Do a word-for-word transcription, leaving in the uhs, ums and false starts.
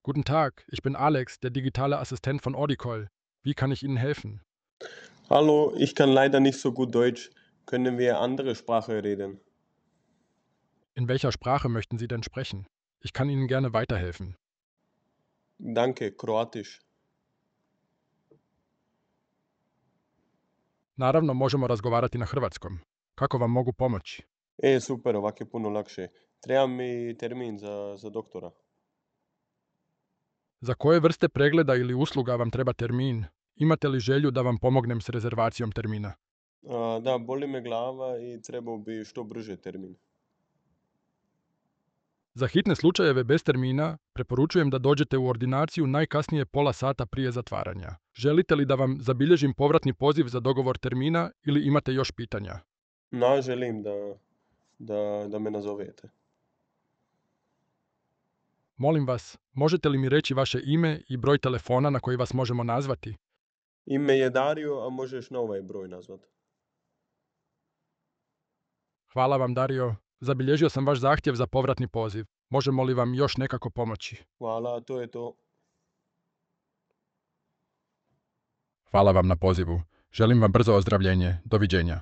Guten Tag, ich bin Alex, der digitale Assistent von Audicol. Wie kann ich Ihnen helfen? Hallo, ich kann leider nicht so gut Deutsch. Können wir andere Sprache reden? In welcher Sprache möchten Sie denn sprechen? Ich kann Ihnen gerne weiterhelfen. Danke, Kroatisch. Naravno, možemo razgovarati na hrvatskom. Kako vam mogu pomoći? E, super, ovak je puno lakše. Treba mi termin za, za doktora. Za koje vrste pregleda ili usluga vam treba termin? Imate li želju da vam pomognem s rezervacijom termina? A, da, boli me glava i trebao bi što brže termin. Za hitne slučajeve bez termina preporučujem da dođete u ordinaciju najkasnije pola sata prije zatvaranja. Želite li da vam zabilježim povratni poziv za dogovor termina ili imate još pitanja? Na, želim da, da, da me nazovete. Molim vas, možete li mi reći vaše ime i broj telefona na koji vas možemo nazvati? Ime je Dario, a možeš na ovaj broj nazvat. Hvala vam, Dario. Zabilježio sam vaš zahtjev za povratni poziv. Možemo li vam još nekako pomoći? Hvala, to je to. Hvala vam na pozivu. Želim vam brzo ozdravljenje. Doviđenja.